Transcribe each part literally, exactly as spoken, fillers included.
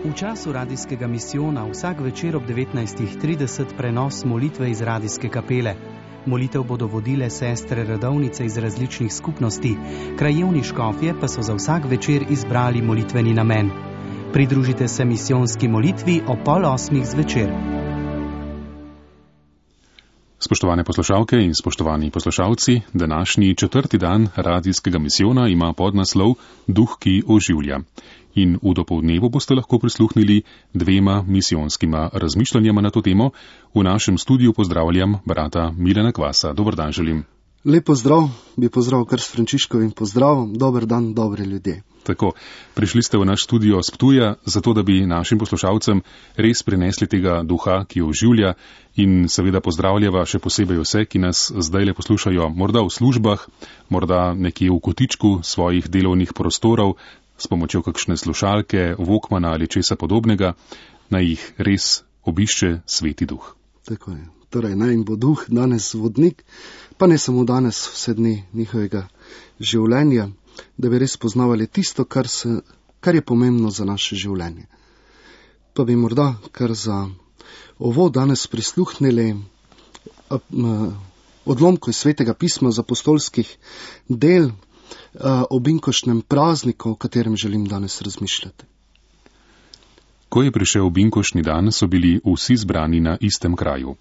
V času radijskega misijona vsak večer ob devetnajstih trideset prenos molitve iz radijske kapele. Molitev bodo vodile sestre redovnice iz različnih skupnosti, krajevni škofje pa so za vsak večer izbrali molitveni namen. Pridružite se misijonski molitvi o pol osmih zvečer. Spoštovane poslušalke in spoštovani poslušalci, današnji četrti dan radijskega misijona ima podnaslov Duh, ki oživlja. In v dopoldnevu boste lahko prisluhnili dvema misijonskima razmišljanjama na to temo. V našem studiu pozdravljam brata Milana Kvasa. Dober dan želim. Lep pozdrav, bi pozdravil kar s Frančiškovim pozdravom. Dober dan, dobri ljudje. Tako, prišli ste v naš studio s Ptuja, zato da bi našim poslušalcem res prinesli tega duha, ki oživlja, in seveda pozdravljava še posebej vse, ki nas zdaj le poslušajo morda v službah, morda nekje v kotičku svojih delovnih prostorov, s pomočjo kakšne slušalke, Walkmana ali česa podobnega, naj jih res obišče Sveti Duh. Tako je. Torej, naj jim bo Duh danes vodnik, pa ne samo danes, vse dni njihovega življenja, da bi res poznavali tisto, kar, se, kar je pomembno za naše življenje. Pa bi morda kar za ovo danes prisluhnili odlomku iz Svetega pisma z apostolskih del o binkoštnem prazniku, o katerem želim danes razmišljati. Ko je prišel binkoštni dan, so bili vsi zbrani na istem kraju.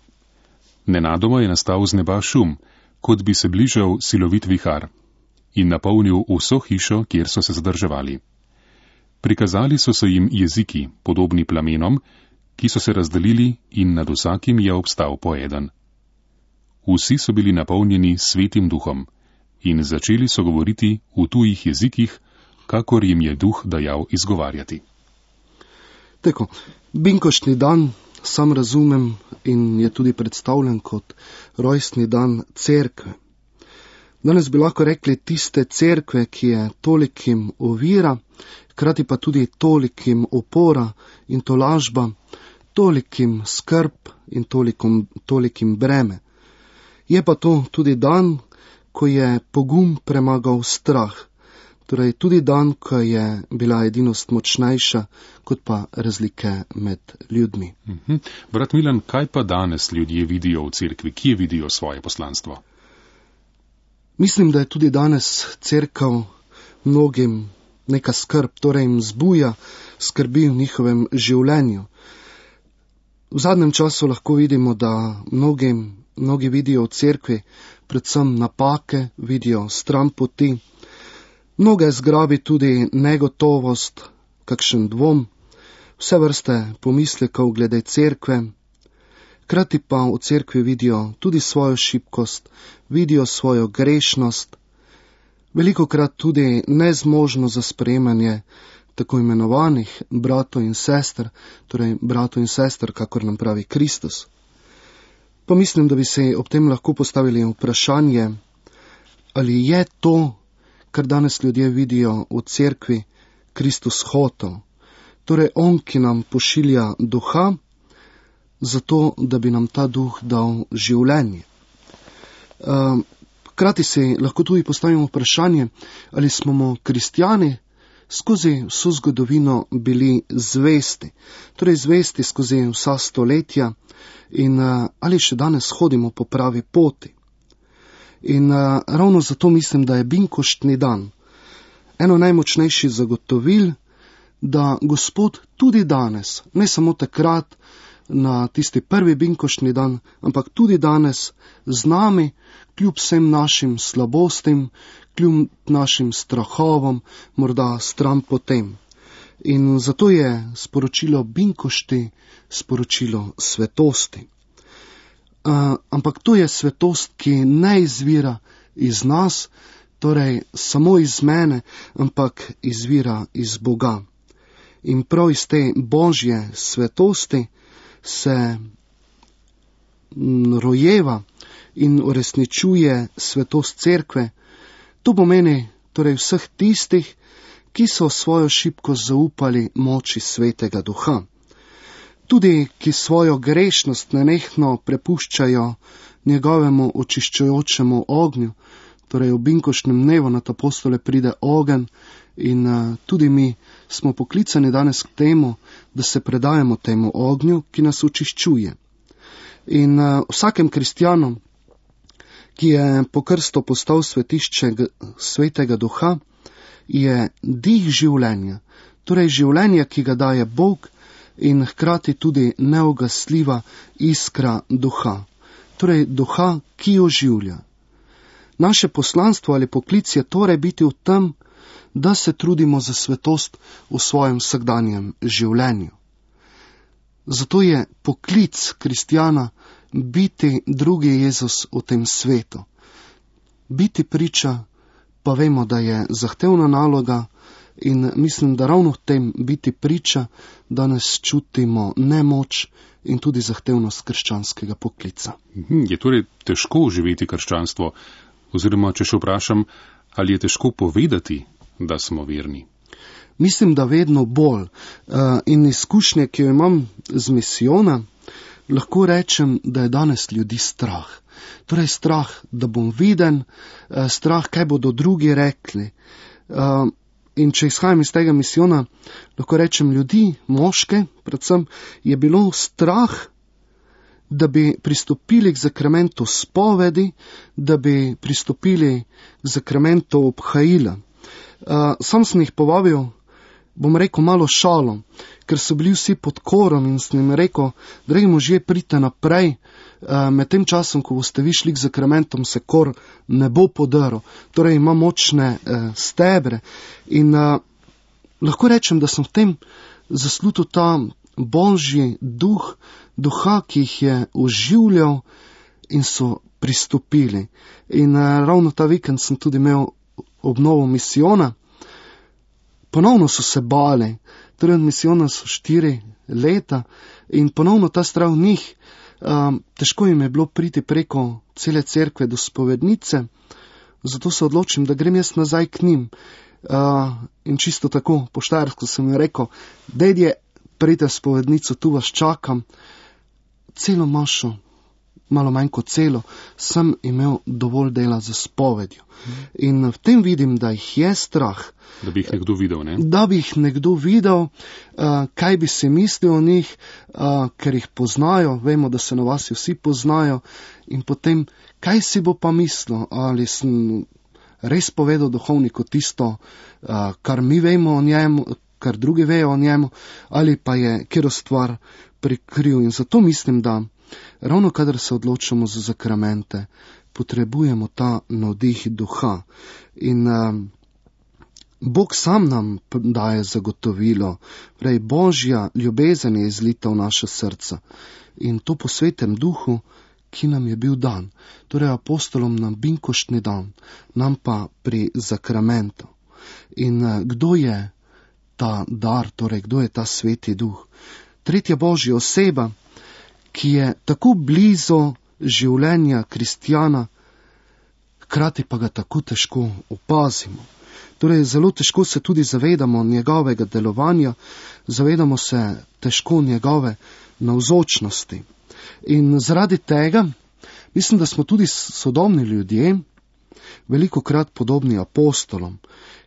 Nenadoma je nastal z neba šum, kot bi se bližal silovit vihar, in napolnil vso hišo, kjer so se zadrževali. Prikazali so se jim jeziki, podobni plamenom, ki so se razdelili, in nad vsakim je obstal po eden. Vsi so bili napolnjeni Svetim Duhom in začeli so govoriti v tujih jezikih, kakor jim je Duh dajal izgovarjati. Tako, binkoštni dan sam razumem in je tudi predstavljen kot rojstni dan cerkve. Danes bi lahko rekli tiste cerkve, ki je tolikim ovira, hkrati pa tudi tolikim opora in tolažba, tolikim skrb in tolikim, tolikim breme. Je pa to tudi dan, ko je pogum premagal strah, torej tudi dan, ko je bila edinost močnejša, kot pa razlike med ljudmi. Mhm. Brat Milan, kaj pa danes ljudje vidijo v cerkvi? Kje vidijo svoje poslanstvo? Mislim, da je tudi danes cerkev mnogim neka skrb, torej jim zbuja skrbi v njihovem življenju. V zadnjem času lahko vidimo, da mnogim, mnogi vidijo v cerkvi predvsem napake, vidijo stran poti. Mnoge zgrabi tudi negotovost, kakšen dvom, vse vrste pomislekov glede cerkve. Hkrati pa v cerkvi vidijo tudi svojo šibkost, vidijo svojo grešnost, velikokrat tudi nezmožnost za sprejemanje tako imenovanih bratov in sester, torej bratov in sester, kakor nam pravi Kristus. Pa mislim, da bi se ob tem lahko postavili vprašanje, ali je to, kar danes ljudje vidijo v cerkvi, Kristus hotel. Torej on, ki nam pošilja duha, zato, da bi nam ta duh dal življenje. Hkrati si lahko tudi postavimo vprašanje, ali smo mu kristjani skozi vso zgodovino bili zvesti, torej zvesti skozi vsa stoletja in ali še danes hodimo po pravi poti. In uh, ravno zato mislim, da je binkoštni dan eno najmočnejših zagotovil, da Gospod tudi danes, ne samo takrat na tisti prvi binkoštni dan, ampak tudi danes z nami, kljub vsem našim slabostim, kljub našim strahovom, morda stran potem. In zato je sporočilo binkošti sporočilo svetosti. Uh, ampak to je svetost, ki ne izvira iz nas, torej samo iz mene, ampak izvira iz Boga. In prav iz te Božje svetosti se rojeva in uresničuje svetost cerkve. To pomeni torej vseh tistih, ki so svojo šibkost zaupali moči Svetega Duha. Tudi, ki svojo grešnost nenehno prepuščajo njegovemu očiščujočemu ognju, Torej, v binkoštnem dnevu nad apostole pride ogenj in uh, tudi mi smo poklicani danes k temu, da se predajemo temu ognju, ki nas očiščuje. In uh, vsakem kristjanu, ki je po krstu postal svetišče svetega duha, je dih življenja, torej življenje, ki ga daje Bog in hkrati tudi neugasljiva iskra duha, torej duha, ki oživlja. Naše poslanstvo ali poklic je torej biti v tem, da se trudimo za svetost v svojem vsakdanjem življenju. Zato je poklic kristjana biti drugi Jezus v tem svetu. Biti priča, pa vemo, da je zahtevna naloga in mislim, da ravno v tem biti priča danes čutimo nemoč in tudi zahtevnost krščanskega poklica. Je torej težko živeti krščanstvo, oziroma če še vprašam, ali je težko povedati, da smo verni? Mislim, da vedno bolj. In izkušnje, ki jo imam z misijona, lahko rečem, da je danes ljudi strah. Torej strah, da bom viden, strah, kaj bodo drugi rekli. In če izhajam iz tega misijona, lahko rečem ljudi, moške, predvsem, je bilo strah, da bi pristopili k zakramentu spovedi, da bi pristopili k zakramentu obhajila. Sam sem jih povabil, bom rekel, malo šalo, ker so bili vsi pod korom in sem jim rekel, dragi možje, pridite naprej, med tem časom, ko boste vi šli k zakramentom, se kor ne bo podaril, torej ima močne stebre in lahko rečem, da sem v tem zaslutil ta Božji duh, duha, ki jih je oživljal in so pristopili. In ravno ta vikend sem tudi imel obnovo misijona. Ponovno so se bali, torej od misijona so štiri leta in ponovno ta strah v njih. Um, težko jim je bilo priti preko cele cerkve do spovednice, zato se odločim, da grem jaz nazaj k njim. Uh, in čisto tako poštarsko sem jim rekel, dedje, pridite v spovednico, tu vas čakam. Celo mašo, malo manj kot celo, sem imel dovolj dela za spovedjo. In v tem vidim, da jih je strah. Da bi jih nekdo videl, ne? Da bi jih nekdo videl, uh, kaj bi si mislil o njih, uh, ker jih poznajo, vemo, da se na vas vsi poznajo, in potem, kaj si bo pa mislil, ali sem res povedal duhovniku tisto, uh, kar mi vemo o njemu, kar drugi vejo o njemu, ali pa je kjero stvar prikril. In zato mislim, da ravno kadar se odločamo za zakramente, potrebujemo ta navdih duha. In uh, Bog sam nam daje zagotovilo, prej Božja ljubezen je izlita v naše srca in to po svetem duhu, ki nam je bil dan, torej apostolom na binkoštni dan, nam pa pri zakramentu. In uh, kdo je ta dar, torej kdo je ta sveti duh? Tretja Božja oseba, ki je tako blizu življenja kristjana, hkrati pa ga tako težko opazimo. Torej, zelo težko se tudi zavedamo njegovega delovanja, zavedamo se težko njegove navzočnosti. In zaradi tega, mislim, da smo tudi sodobni ljudje, velikokrat podobni apostolom,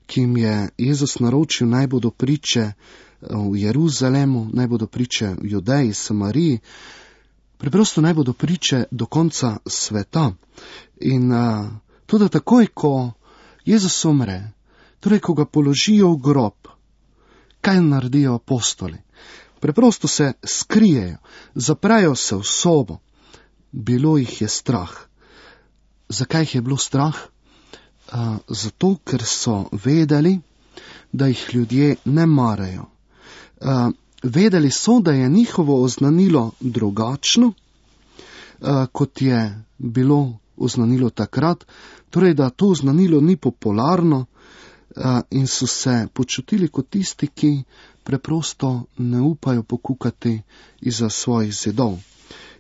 ki jim je Jezus naročil, naj bodo priče v Jeruzalemu, naj bodo priče v Judeji, Samariji, preprosto naj bodo priče do konca sveta. In uh, tudi takoj, ko Jezus umre, torej, ko ga položijo v grob, kaj naredijo apostoli? Preprosto se skrijejo, zaprejo se v sobo. Bilo jih je strah. Zakaj jih je bilo strah? Uh, zato, ker so vedeli, da jih ljudje ne marajo. Uh, vedeli so, da je njihovo oznanilo drugačno, uh, kot je bilo oznanilo takrat, torej, da to oznanilo ni popularno, in so se počutili kot tisti, ki preprosto ne upajo pokukati izza svojih zidov.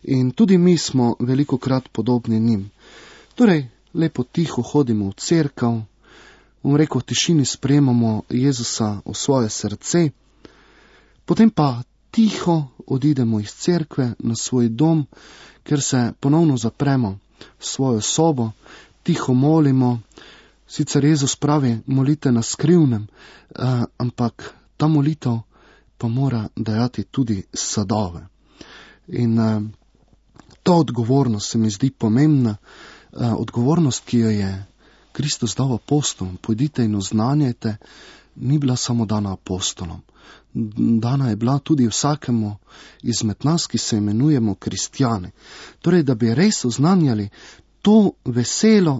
In tudi mi smo velikokrat podobni njim. Torej, lepo tiho hodimo v cerkev, bom rekel, v tišini sprejemamo Jezusa v svoje srce, potem pa tiho odidemo iz cerkve na svoj dom, ker se ponovno zapremo v svojo sobo, tiho molimo. Sicer Jezus pravi, molite na skrivnem, uh, ampak ta molitev pa mora dajati tudi sadove. In uh, ta odgovornost se mi zdi pomembna, uh, odgovornost, ki jo je Kristus dal apostolom, pojdite in oznanjajte, ni bila samo dana apostolom. Dana je bila tudi vsakemu izmed nas, ki se imenujemo kristjani. Torej, da bi res oznanjali to veselo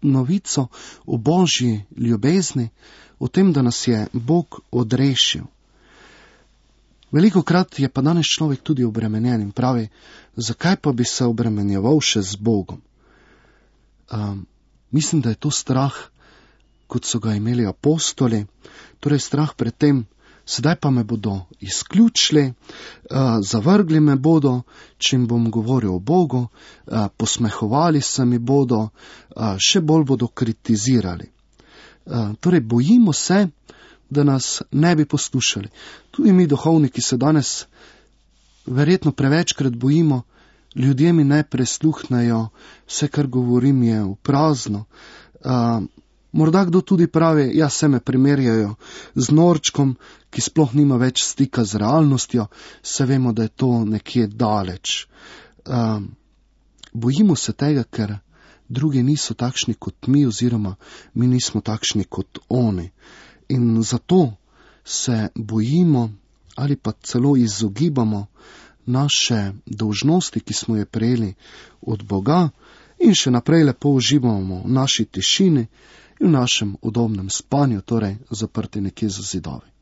novico o Božji ljubezni, o tem, da nas je Bog odrešil. Velikokrat je pa danes človek tudi obremenjen in pravi, zakaj pa bi se obremenjeval še z Bogom? Um, mislim, da je to strah, kot so ga imeli apostoli, torej strah pred tem, sedaj pa me bodo izključili, uh, zavrgli me bodo, če jim bom govoril o Bogu, uh, posmehovali se mi bodo, uh, še bolj bodo kritizirali. Uh, torej, bojimo se, da nas ne bi poslušali. Tudi mi duhovniki se danes verjetno prevečkrat bojimo, ljudje mi ne presluhnejo, vse, kar govorim, je v prazno. Uh, morda kdo tudi pravi, ja, se me primerjajo z norčkom, ki sploh nima več stika z realnostjo, se vemo, da je to nekje daleč. Uh, bojimo se tega, ker drugi niso takšni kot mi, oziroma mi nismo takšni kot oni. In zato se bojimo ali pa celo izogibamo naše dolžnosti, ki smo je prejeli od Boga, in še naprej lepo uživamo v naši tišini in v našem udobnem spanju, torej zaprti nekje za zidovi.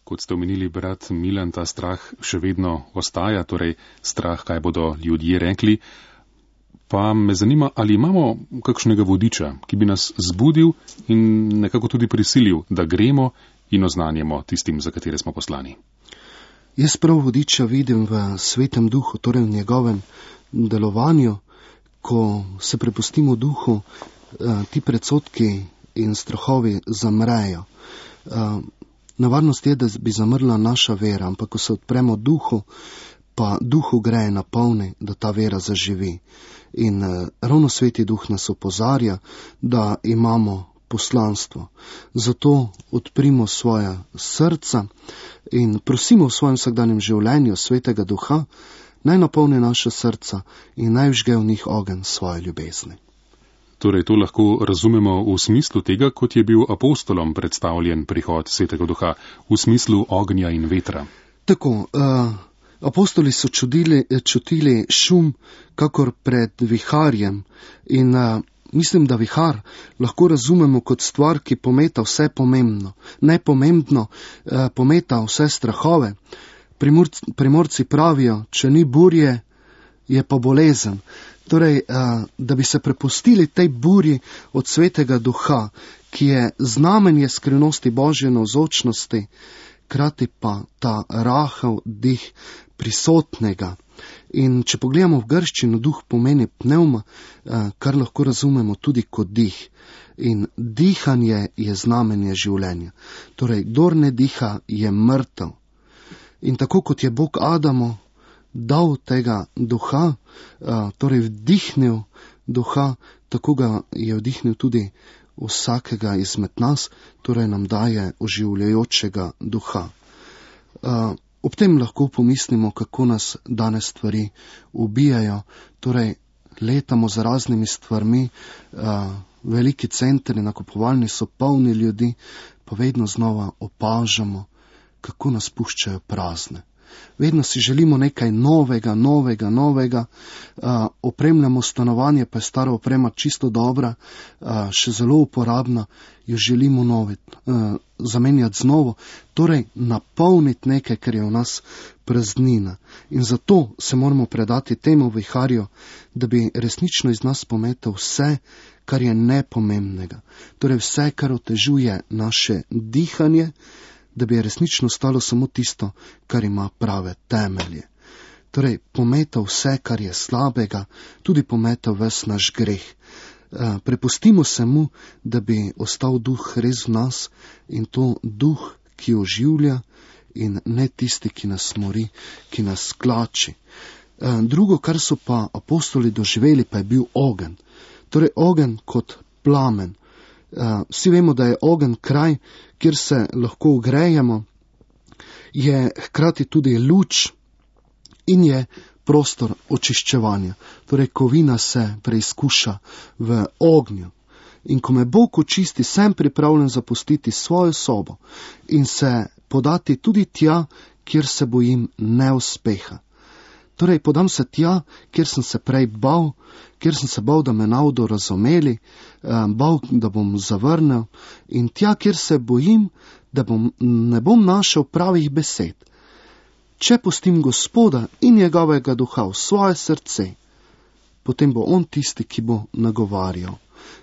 Kot ste omenili, brat Milan, ta strah še vedno ostaja, torej strah, kaj bodo ljudje rekli. Pa me zanima, ali imamo kakšnega vodiča, ki bi nas zbudil in nekako tudi prisilil, da gremo in oznanjamo tistim, za katere smo poslani. Jaz prav vodiča vidim v Svetem Duhu, torej v njegovem delovanju, ko se prepustimo Duhu, ti predsodki in strahovi zamrejo. Nevarnost je, da bi zamrla naša vera, ampak ko se odpremo Duhu, pa Duhu gre napolni, da ta vera zaživi. In eh, ravno Sveti Duh nas opozarja, da imamo poslanstvo. Zato odprimo svoja srca in prosimo v svojem vsakdanjem življenju Svetega Duha, naj napolni naša srca in naj vžge v njih ogenj svoje ljubezni. Torej, to lahko razumemo v smislu tega, kot je bil apostolom predstavljen prihod Svetega Duha, v smislu ognja in vetra. Tako, uh, apostoli so čudili, čutili šum, kakor pred viharjem, in uh, mislim, da vihar lahko razumemo kot stvar, ki pometa vse pomembno, nepomembno uh, pometa vse strahove. Primorci, primorci pravijo, če ni burje, je pa bolezen. Torej, da bi se prepustili tej burji od Svetega Duha, ki je znamenje skrivnosti Božje navzočnosti, hkrati pa ta rahel dih prisotnega. In če pogledamo v grščino, duh pomeni pnevma, kar lahko razumemo tudi kot dih. In dihanje je znamenje življenja. Torej, kdor ne diha, je mrtev. In tako kot je Bog Adamu dal tega duha, torej vdihnil duha, tako ga je vdihnil tudi vsakega izmed nas, torej nam daje oživljajočega duha. Ob tem lahko pomislimo, kako nas danes stvari ubijajo, torej letamo za raznimi stvarmi, veliki centri nakupovalni so polni ljudi, pa vedno znova opažamo, kako nas puščajo prazne. Vedno si želimo nekaj novega, novega, novega, uh, opremljamo stanovanje, pa je stara oprema čisto dobra, uh, še zelo uporabna, jo želimo novit, uh, zamenjati z novo, torej napolniti nekaj, kar je v nas praznina. In zato se moramo predati temu viharju, da bi resnično iz nas pometal vse, kar je nepomembnega, torej vse, kar otežuje naše dihanje, da bi resnično stalo samo tisto, kar ima prave temelje. Torej, pometal vse, kar je slabega, tudi pometal ves naš greh. Prepustimo se mu, da bi ostal duh res v nas, in to duh, ki oživlja, in ne tisti, ki nas mori, ki nas klači. Drugo, kar so pa apostoli doživeli, pa je bil ogenj. Torej, ogenj kot plamen. Uh, vsi vemo, da je ogenj kraj, kjer se lahko ogrejemo, je hkrati tudi luč in je prostor očiščevanja. Torej, kovina se preizkuša v ognju. In ko me Bog očisti, sem pripravljen zapustiti svojo sobo in se podati tudi tja, kjer se bojim neuspeha. Torej, podam se tja, kjer sem se prej bal, kjer sem se bal, da me ne bodo razumeli, bal, da bom zavrnil, in tja, kjer se bojim, da bom, ne bom našel pravih besed. Če pustim Gospoda in njegovega duha v svoje srce, potem bo on tisti, ki bo nagovarjal.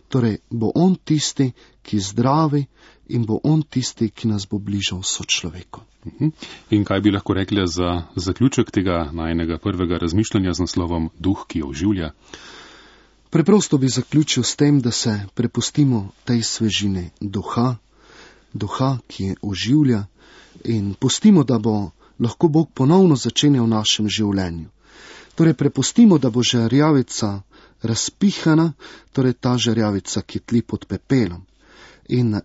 Torej, bo on tisti, ki zdravi, in bo on tisti, ki nas bo bližal sočloveku. In kaj bi lahko rekli za zaključek tega najnega prvega razmišljanja z naslovom Duh, ki oživlja? Preprosto bi zaključil s tem, da se prepustimo tej svežini duha, duha, ki oživlja, in pustimo, da bo lahko Bog ponovno začenjal v našem življenju. Torej, prepustimo, da bo žarjavica razpihana, torej ta žarjavica, ki tli pod pepelom. In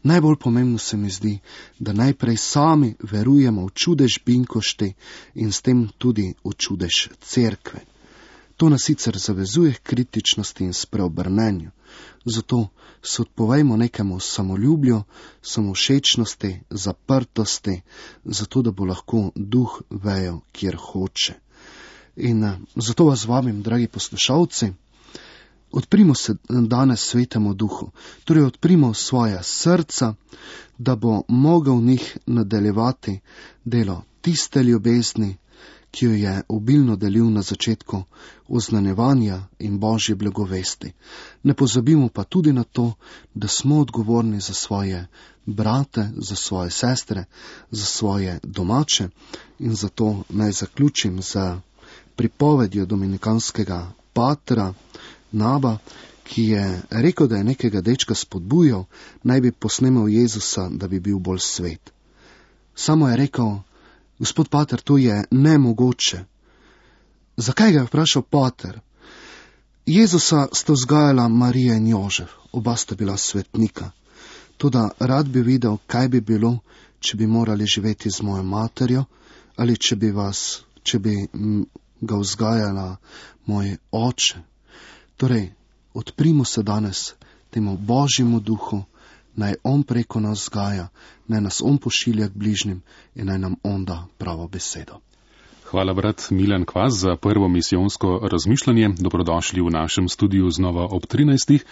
najbolj pomembno se mi zdi, da najprej sami verujemo v čudež Binkošti in s tem tudi v čudež cerkve. To nas sicer zavezuje k kritičnosti in spreobrnenju, zato se odpovejmo nekemu samoljublju, samovšečnosti, zaprtosti, zato da bo lahko duh vejal, kjer hoče. In zato vas vabim, dragi poslušalci, odprimo se danes svetemu duhu, torej odprimo svoja srca, da bo mogel v njih nadaljevati delo tiste ljubezni, ki jo je obilno delil na začetku oznanjevanja in Božje blagovesti. Ne pozabimo pa tudi na to, da smo odgovorni za svoje brate, za svoje sestre, za svoje domače, in zato naj zaključim z pripovedjo dominikanskega patra Naba, ki je rekel, da je nekega dečka spodbujal, naj bi posnemal Jezusa, da bi bil bolj svet. Samo je rekel: Gospod pater, to je nemogoče. Zakaj ga je vprašal pater? Jezusa sta vzgajala Marija in Jožef, oba sta bila svetnika. Toda rad bi videl, kaj bi bilo, če bi morali živeti z mojo materjo, ali če bi vas, če bi ga vzgajala moj oče. Torej, odprimo se danes temu Božjemu duhu, naj on preko nas vzgaja, naj nas on pošilja k bližnjim in naj nam on da pravo besedo. Hvala, brat Milan Kvas, za prvo misijonsko razmišljanje. Dobrodošli v našem studiu znova ob trinajstih.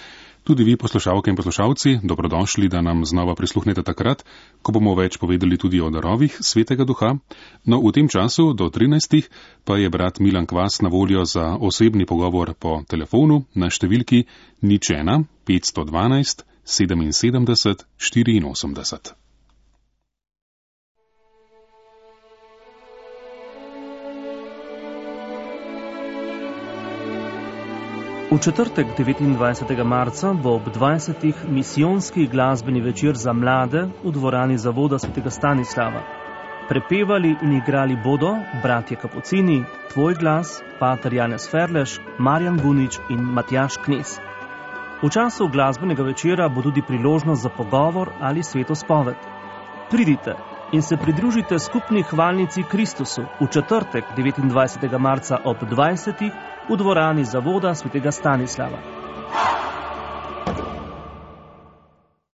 Tudi vi, poslušalke in poslušalci, dobrodošli, da nam znova prisluhnete takrat, ko bomo več povedali tudi o darovih Svetega Duha. No, v tem času do trinajstih pa je brat Milan Kvas na voljo za osebni pogovor po telefonu na številki nič ena petsto dvanajst sedeminsedemdeset štiriinosemdeset. V četrtek devetindvajsetega marca bo ob dvajsetih misijonski glasbeni večer za mlade v dvorani Zavoda svetega Stanislava. Prepevali in igrali bodo bratje Kapucini, Tvoj glas, pater Janez Ferleš, Marjan Vunič in Matjaž Knez. V času glasbenega večera bo tudi priložnost za pogovor ali svetospoved. Pridite in se pridružite skupni hvalnici Kristusu v četrtek devetindvajsetega marca ob dvajsetih v dvorani Zavoda svetega Stanislava.